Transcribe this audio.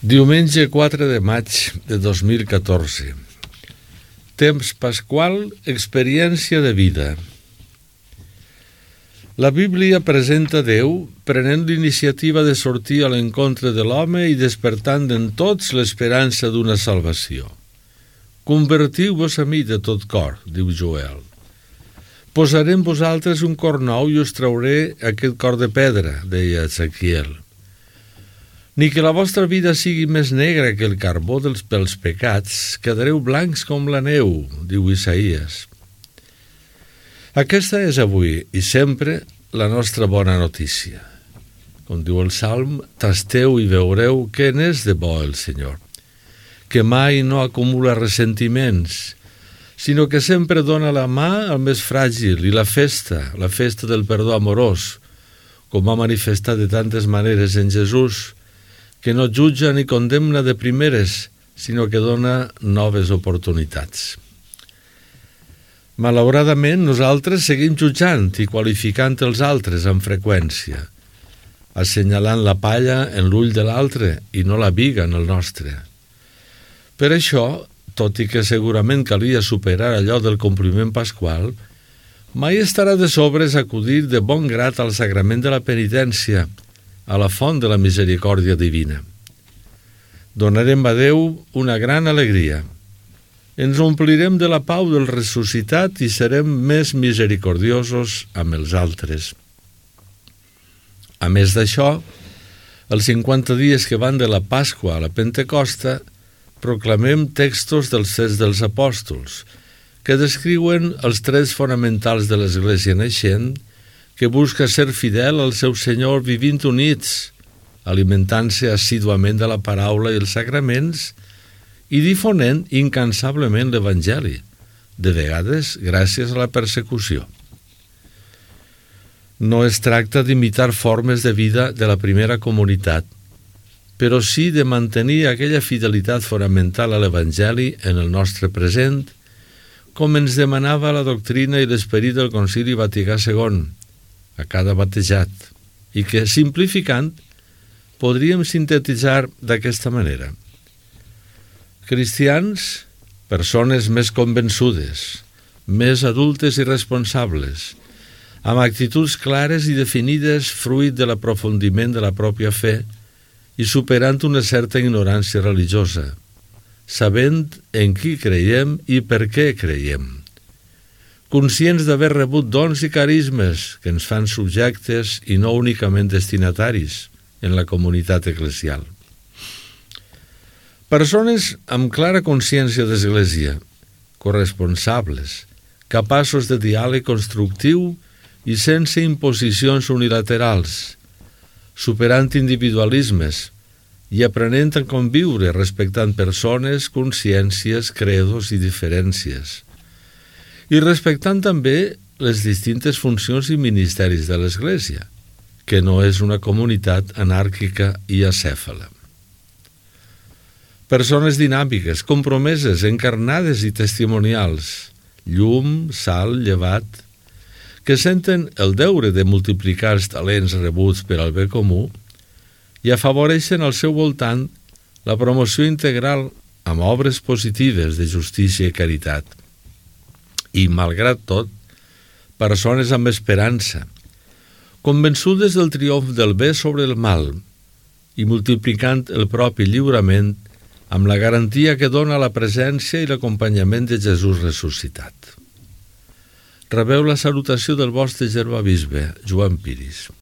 Diumenge 4 de maig de 2014. Temps pasqual, experiència de vida. La Bíblia presenta Déu prenent l'iniciativa de sortir a l'encontre de l'home i despertant en tots l'esperança d'una salvació. Convertiu-vos a mi de tot cor, diu Joel. Posaré en vosaltres un cor nou i us trauré aquest cor de pedra, deia Ezequiel. Ni que la vostra vida sigui més negra que el carbó pels pecats, quedareu blancs com la neu, diu Isaïes. Aquesta és avui i sempre la nostra bona notícia. Com diu el Salm, tasteu i veureu què n'és de bo el Senyor, que mai no acumula ressentiments, sinó que sempre dona la mà al més fràgil i la festa del perdó amorós, com ha manifestat de tantes maneres en Jesús, que no jutja ni condemna de primeres, sinó que dona noves oportunitats. Malauradament, nosaltres seguim jutjant i qualificant els altres amb freqüència, assenyalant la palla en l'ull de l'altre i no la biga en el nostre. Per això, tot i que segurament calia superar allò del compliment pasqual, mai estarà de sobres acudir de bon grat al sagrament de la penitència, a la font de la misericòrdia divina. Donarem a Déu una gran alegria. Ens omplirem de la pau del ressuscitat i serem més misericordiosos amb els altres. A més d'això, els 50 dies que van de la Pasqua a la Pentecosta, proclamem textos dels Fets dels Apòstols, que descriuen els trets fonamentals de l'Església naixent, que busca ser fidel al seu Senyor vivint units, alimentant-se assíduament de la paraula i els sacraments i difonent incansablement l'Evangeli, de vegades gràcies a la persecució. No es tracta d'imitar formes de vida de la primera comunitat, però sí de mantenir aquella fidelitat fonamental a l'Evangeli en el nostre present, com ens demanava la doctrina i l'esperit del Concili Vaticà II, a cada batejat, i que, simplificant, podríem sintetitzar d'aquesta manera. Cristians, persones més convençudes, més adultes i responsables, amb actituds clares i definides fruit de l'aprofundiment de la pròpia fe i superant una certa ignorància religiosa, sabent en qui creiem i per què creiem. Conscients d'haver rebut dons i carismes que ens fan subjectes i no únicament destinataris en la comunitat eclesial. Persones amb clara consciència d'església, corresponsables, capaços de diàleg constructiu i sense imposicions unilaterals, superant individualismes i aprenent a conviure respectant persones, consciències, credos i diferències, i respectant també les distintes funcions i ministeris de l'Església, que no és una comunitat anàrquica i acèfala. Persones dinàmiques, compromeses, encarnades i testimonials, llum, sal, llevat, que senten el deure de multiplicar els talents rebuts per al bé comú i afavoreixen al seu voltant la promoció integral amb obres positives de justícia i caritat. I, malgrat tot, persones amb esperança, convençudes del triomf del bé sobre el mal i multiplicant el propi lliurament amb la garantia que dona la presència i l'acompanyament de Jesús ressuscitat. Rebeu la salutació del vostre germà bisbe, Joan Piris.